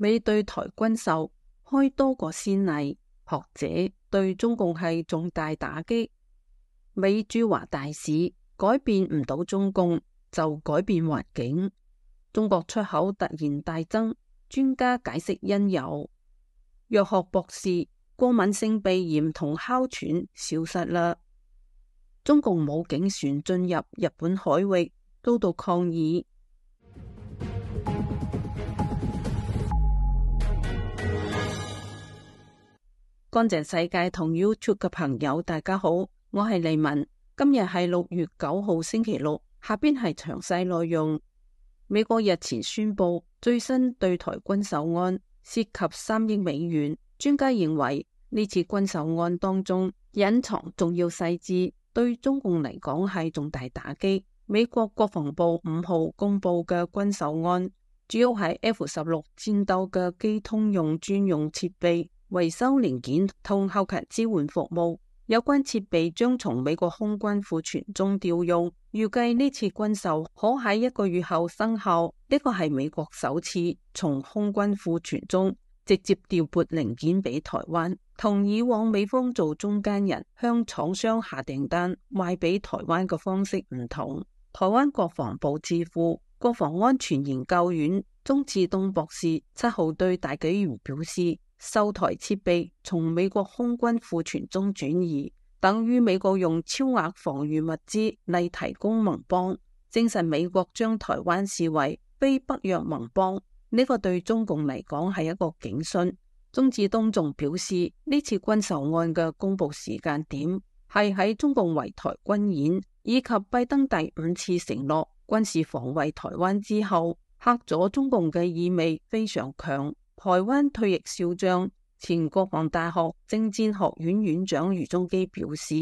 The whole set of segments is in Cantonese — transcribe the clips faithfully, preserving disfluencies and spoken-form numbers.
美對台軍售開多個先例，學者對中共係重大打擊。美駐華大使改變唔到中共，就改變環境。中國出口突然大增，專家解釋因由。藥學博士，過敏性鼻炎同哮喘消失啦。中共武警船進入日本海域，遭到抗議。乾淨世界同 YouTube 嘅朋友，大家好，我係黎文。今日係六月九號星期六，下邊係詳細內容。美國日前宣布最新對台軍售案，涉及三億美元。專家認為呢次軍售案當中隱藏重要細節，對中共嚟講係重大打擊。美國國防部五號公布嘅軍售案，主要係 F 十六戰鬥嘅機通用專用設備、維修零件同後勤支援服務。有關設備將從美國空軍庫存中調用，預計呢次軍售可喺一個月後生效。呢個係美國首次從空軍庫存中直接調撥零件俾台灣，同以往美方做中間人向廠商下訂單賣俾台灣嘅方式唔同。台灣國防部智庫國防安全研究院鍾志東博士七號對大紀元表示，售台設備從美國空軍庫存中轉移，等於美國用超額防禦物資嚟提供盟邦，證實美國將台灣視為非北約盟邦。呢個對中共嚟講係一個警訊。鍾志東仲表示，呢次軍售案嘅公布時間點係喺中共圍台軍演以及拜登第五次承諾軍事防衛台灣之後，嚇咗中共嘅意味非常強。台灣退役少將、前國防大學政戰學院院長余宗基表示，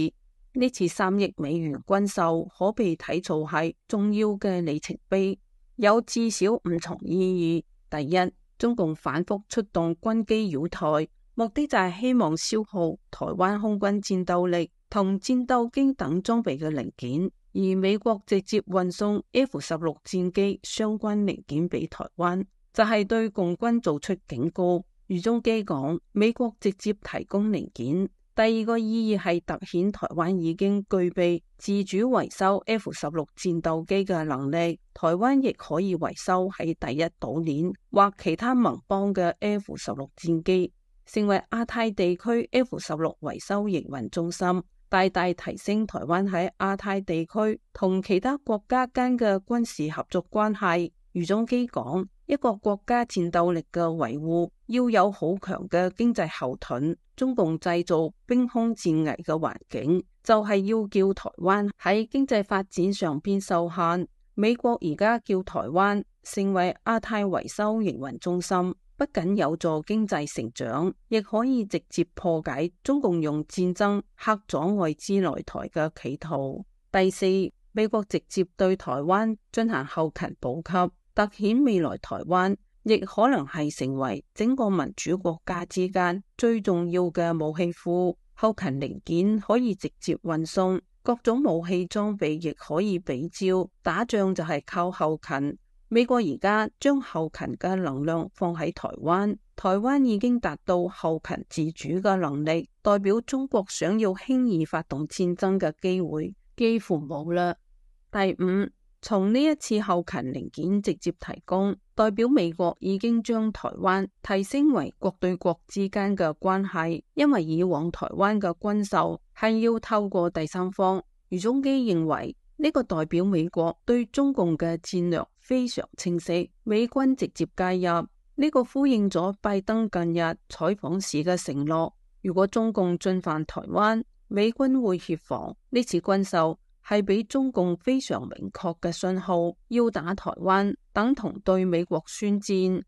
呢次三億美元軍售可被睇做係重要嘅里程碑，有至少五重意義。第一，中共反覆出動軍機擾台，目的就係希望消耗台灣空軍戰鬥力同戰鬥機等裝備嘅零件，而美國直接運送 F 十六戰機相關零件俾台灣，就係對共軍做出警告。余宗基講，美國直接提供零件。第二個意義係凸顯台灣已經具備自主維修 F 十六戰鬥機嘅能力，台灣亦可以維修喺第一島鏈或其他盟邦嘅 F 十六戰機，成為亞太地區 F 十六維修營運中心，大大提升台灣喺亞太地區同其他國家間嘅軍事合作關係。余宗基講，一個國家戰鬥力嘅維護要有好強嘅經濟後盾，中共製造兵凶戰危嘅環境，就係要叫台灣喺經濟發展上邊受限。美國而家叫台灣成為亞太維修營運中心，不僅有助經濟成長，亦可以直接破解中共用戰爭嚇阻外資來台嘅企圖。第四，美國直接對台灣進行後勤補給，凸顯未來台灣亦可能係成為整個民主國家之間最重要嘅武器庫，後勤零件可以直接運送，各種武器裝備亦可以比照。打仗就係靠後勤，美國而家將後勤嘅能量放喺台灣，台灣已經達到後勤自主嘅能力，代表中國想要輕易發動戰爭嘅機會幾乎冇啦。第五，從呢一次後勤零件直接提供，代表美國已經將台灣提升為國對國之間嘅關係，因為以往台灣嘅軍售係要透過第三方。余宗基認為呢個代表美國對中共嘅戰略非常清晰，美軍直接介入，呢個呼應咗拜登近日採訪時嘅承諾，如果中共進犯台灣，美軍會協防。呢次軍售係俾中共非常明確嘅信號，要打台灣等同對美國宣戰。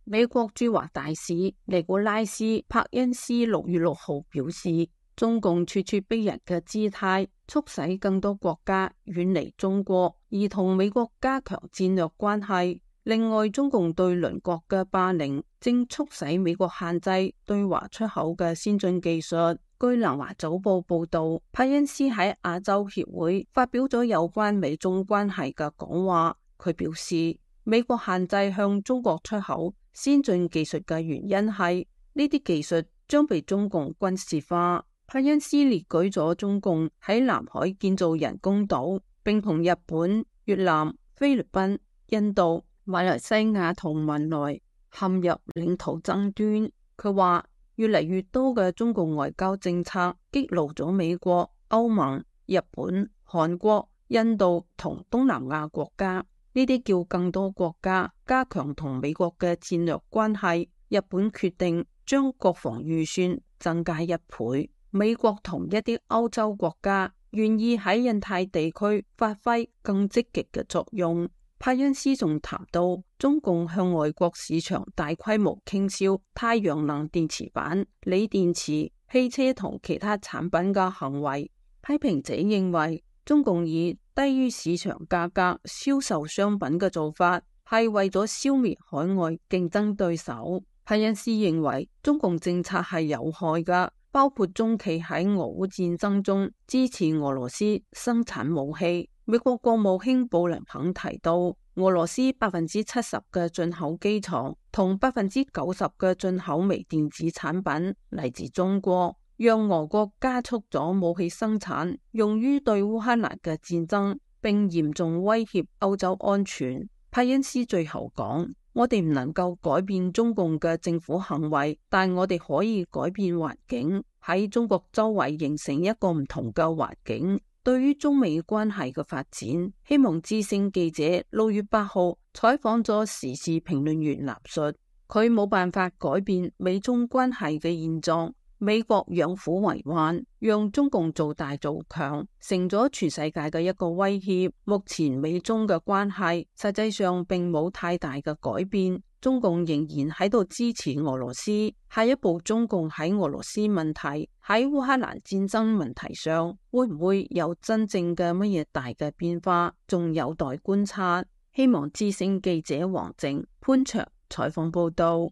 美國駐華大使尼古拉斯·柏恩斯六月六號表示，中共咄咄逼人嘅姿態，促使更多國家遠離中國，而同美國加強戰略關係。另外，中共對鄰國嘅霸凌，正促使美國限制對華出口嘅先進技術。據南華早報報道，柏恩斯喺亞洲協會發表咗有關美中關係嘅講話。佢表示，美國限制向中國出口先進技術嘅原因係呢啲技術將被中共軍事化。派恩斯列舉咗中共喺南海建造人工島，並同日本、越南、菲律賓、印度、馬來西亞同文萊陷入領土爭端。佢話越嚟越多嘅中共外交政策激怒咗美國、歐盟、日本、韓國、印度同東南亞國家，呢啲叫更多國家加強同美國嘅戰略關係。日本決定將國防預算增加一倍。美國同一啲歐洲國家願意喺印太地區發揮更積極嘅作用。派恩斯仲談到中共向外國市場大規模傾銷太陽能電池板、鋰電池、汽車同其他產品嘅行為。批評者認為中共以低於市場價格銷售商品嘅做法係為咗消滅海外競爭對手。派恩斯認為中共政策係有害㗎，包括中期喺俄烏戰爭中支持俄羅斯生產武器。美國國務卿布林肯提到，俄羅斯百分之七十嘅進口機床同百分之九十嘅進口微電子產品嚟自中國，讓俄國加速咗武器生產，用於對烏克蘭嘅戰爭，並嚴重威脅歐洲安全。派恩斯最後講：我哋唔能夠改變中共嘅政府行為，但我哋可以改變環境，喺中國周圍形成一個唔同嘅環境。對於中美關係嘅發展，希望之聲記者六月八號採訪咗時事評論員納述，佢冇辦法改變美中關係嘅現狀。美國養虎為患，讓中共做大做強，成咗全世界嘅一個威脅。目前美中嘅關係實際上並冇太大嘅改變，中共仍然喺度支持俄羅斯。下一步中共喺俄羅斯問題、喺烏克蘭戰爭問題上，會唔會有真正嘅乜嘢大嘅變化，仲有待觀察。希望之聲記者黃靜、潘卓採訪報道。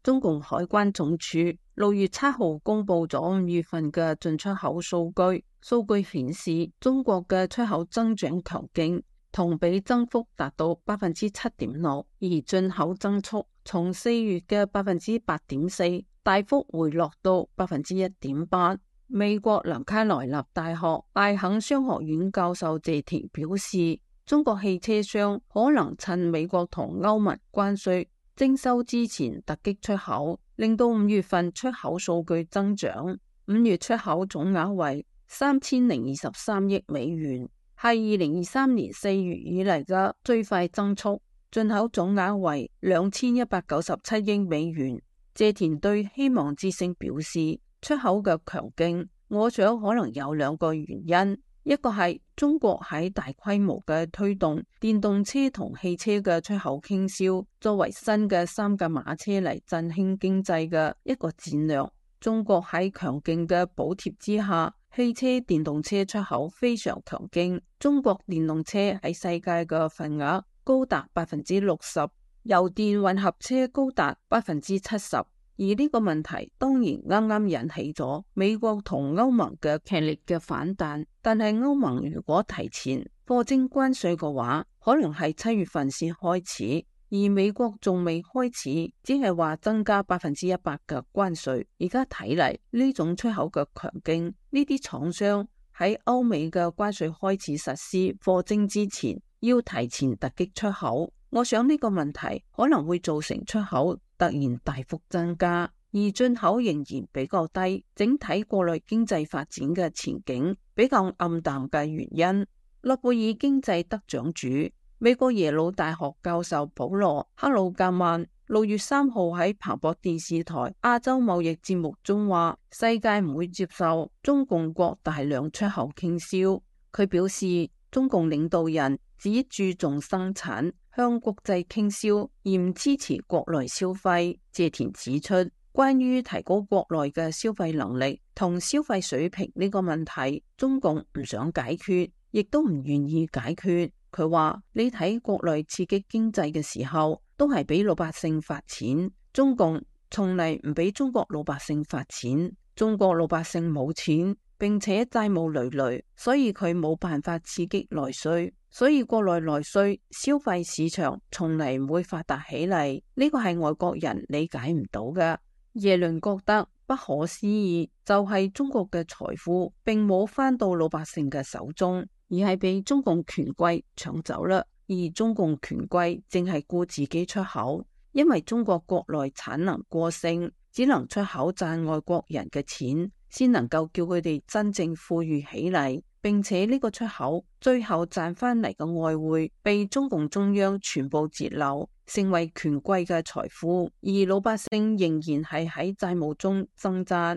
中共海關總署六月七號公布咗五月份嘅進出口數據，數據顯示中國嘅出口增長強勁，同比增幅達到百分之七點六，而進口增速從四月嘅百分之八點四大幅回落到百分之一點八。美國南卡羅來納大學艾肯商學院教授謝田表示，中國汽車商可能趁美國同歐盟關稅徵收之前突擊出口，令到五月份出口數據增長。五月出口總額為三千零二十三億美元，係二零二三年四月以嚟嘅最快增速。進口總額為兩千一百九十七億美元。謝田對希望之聲表示，出口嘅強勁，我想可能有兩個原因。一個係中國喺大規模嘅推動電動車同汽車嘅出口傾銷，作為新嘅三駕馬車嚟振興經濟嘅一個戰略。中國喺強勁嘅補貼之下，汽車電動車出口非常強勁。中國電動車喺世界嘅份額高達百分之六十，油電混合車高達百分之七十。而呢個問題當然啱啱引起咗美國同歐盟嘅劇烈嘅反彈，但係歐盟如果提前課徵關稅嘅話，可能係七月份先開始，而美國仲未開始，只係話增加百分之一百嘅關稅。而家睇嚟呢種出口嘅強勁，呢啲廠商喺歐美嘅關稅開始實施課徵之前，要提前突擊出口。我想呢個問題可能會造成出口突然大幅增加，而進口仍然比較低，整體國內經濟發展嘅前景比較暗淡嘅原因。諾貝爾經濟得獎主、美國耶魯大學教授保羅克魯格曼六月三號喺彭博電視台亞洲貿易節目中話，世界唔會接受中共國大量出口傾銷。佢表示，中共領導人只注重生產，向國際傾銷，而唔支持國內消費。謝田指出，關於提高國內嘅消費能力同消費水平呢個問題，中共唔想解決，亦都唔願意解決。佢話，你睇國內刺激經濟嘅時候，都係俾老百姓發錢，中共從嚟唔俾中國老百姓發錢，中國老百姓冇錢，並且債務累累，所以佢冇辦法刺激內需。所以國內內需消費市場從嚟唔會發達起嚟，呢個係外國人理解唔到嘅。耶倫覺得不可思議，就係中國嘅財富並冇返到老百姓嘅手中，而係被中共權貴搶走啦。而中共權貴淨係顧自己出口，因為中國國內產能過剩，只能出口賺外國人嘅錢，先能夠叫佢哋真正富裕起嚟。並且呢個出口最後賺翻嚟嘅外匯被中共中央全部截留，成為權貴嘅財富，而老百姓仍然係喺債務中掙扎。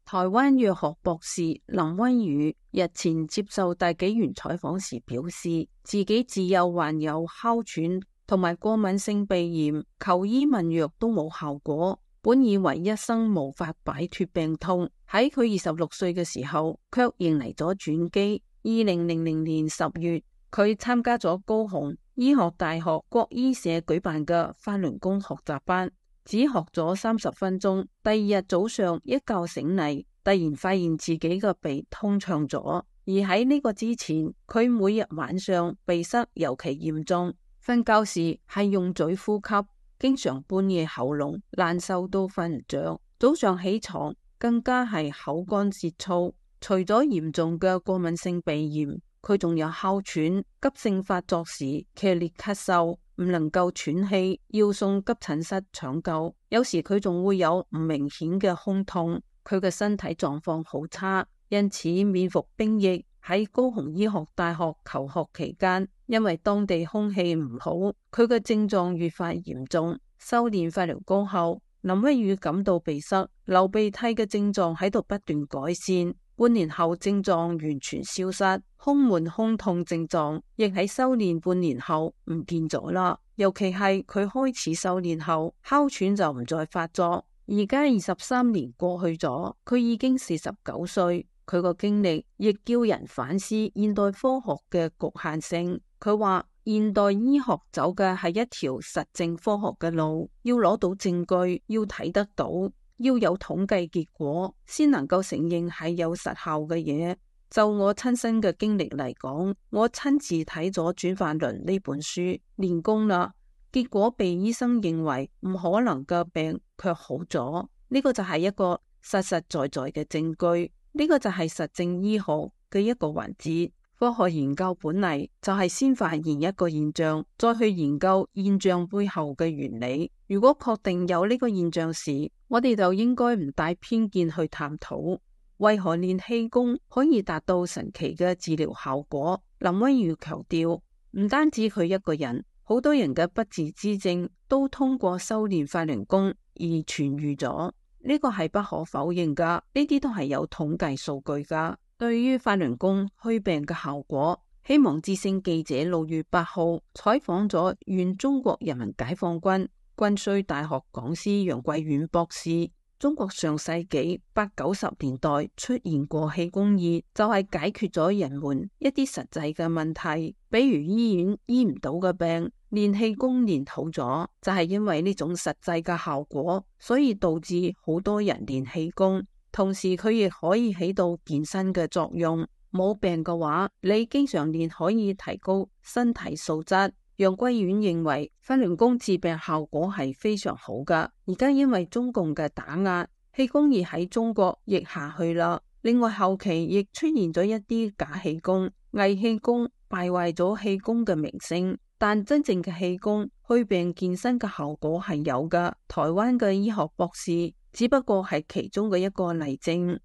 台灣藥學博士林威宇日前接受大紀元採訪時表示，自己自幼患有哮喘同埋過敏性鼻炎，求醫問藥都冇效果，本以為一生無法擺脫病痛。喺佢二十六歲嘅時候，卻迎嚟咗轉機。二零零零年十月，佢參加咗高雄醫學大學國醫社舉辦嘅法輪功學習班，只學咗三十分鐘。第二日早上一覺醒嚟，突然發現自己嘅鼻通暢咗。而喺呢個之前，佢每日晚上鼻塞尤其嚴重，瞓覺時係用嘴呼吸，經常半夜喉嚨難受到瞓唔着，早上起床更加係口乾舌燥。除咗嚴重嘅過敏性鼻炎，佢仲有哮喘，急性發作時劇烈咳嗽，唔能夠喘氣，要送急診室搶救。有時佢仲會有唔明顯嘅胸痛。佢嘅身體狀況好差，因此面服兵役。喺高雄醫學大學求學期間，因為當地空氣唔好，佢嘅症狀越發嚴重。修煉法輪功後，林威宇感到鼻塞、流鼻涕嘅症狀喺度不斷改善。半年後症狀完全消失，胸悶胸痛症狀亦喺修煉半年後唔見咗啦。尤其係佢開始修煉後，哮喘就唔再發作。而家二十三年過去咗，佢已經四十九歲。佢個經歷亦叫人反思現代科學嘅局限性。佢話現代醫學走嘅係一條實證科學嘅路，要攞到證據，要睇得到，要有統計結果，先能夠承認係有實效嘅嘢。就我親身嘅經歷嚟講，我親自睇咗《轉法輪》呢本書，練功啦，結果被醫生認為唔可能嘅病卻好咗。呢個就係一個實實在在嘅證據。呢個就係實證醫學嘅一個環節。科學研究本嚟就係先發現一個現象，再去研究現象背後嘅原理。如果確定有呢個現象時，我哋就應該唔帶偏見去探討為何練氣功可以達到神奇嘅治療效果。林威宇強調，唔單止佢一個人，好多人嘅不治之症都通過修煉法輪功而痊癒咗。呢個係不可否認噶，呢啲都係有統計數據噶。對於法輪功祛病嘅效果，希望之聲記者六月八號採訪咗原中國人民解放軍軍需大學講師楊貴遠博士。中國上世紀八九十年代出現過氣功熱，就係解決咗人們一啲實際嘅問題，比如醫院醫唔到嘅病，練氣功練好咗，就係因為呢種實際嘅效果，所以導致好多人練氣功。同時佢亦可以起到健身嘅作用。冇病嘅話，你經常練可以提高身體素質。楊貴遠認為法輪功治病效果係非常好噶。而家因為中共嘅打壓，氣功熱喺中國亦下去啦。另外後期亦出現咗一啲假氣功、偽氣功，敗壞咗氣功嘅名聲。但真正嘅氣功祛病健身嘅效果係有噶。台灣嘅醫學博士只不過係其中嘅一個例證。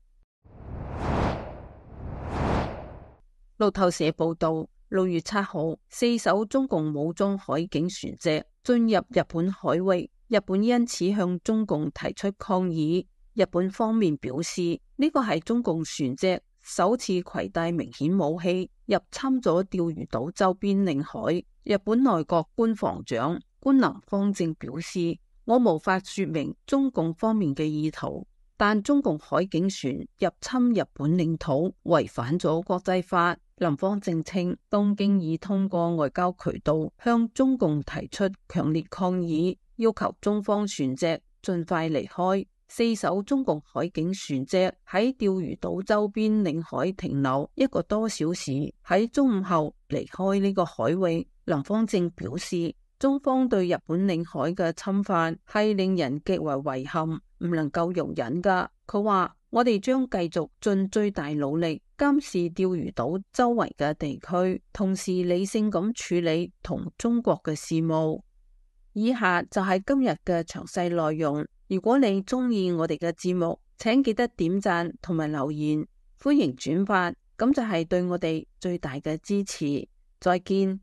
路透社報道，六月七號，四艘中共武裝海警船隻進入日本海域，日本因此向中共提出抗議。日本方面表示，呢個係中共船隻首次攜帶明顯武器入侵咗釣魚島周邊領海。日本內閣官房長官能方正表示，我無法說明中共方面嘅意圖，但中共海警船入侵日本領土違反咗國際法。林方正稱，東京已通過外交渠道向中共提出強烈抗議，要求中方船隻盡快離開。四艘中共海警船隻喺釣魚島周邊領海停留一個多小時，喺中午後離開呢個海域。林芳正表示，中方對日本領海嘅侵犯係令人極為遺憾，唔能夠容忍噶。佢話：我哋將繼續盡最大努力監視釣魚島周圍嘅地區，同時理性咁處理同中國嘅事務。以下就係今日嘅詳細內容。如果你中意我哋嘅節目，請記得點讚同埋留言，歡迎轉發，咁就係對我哋最大嘅支持。再見。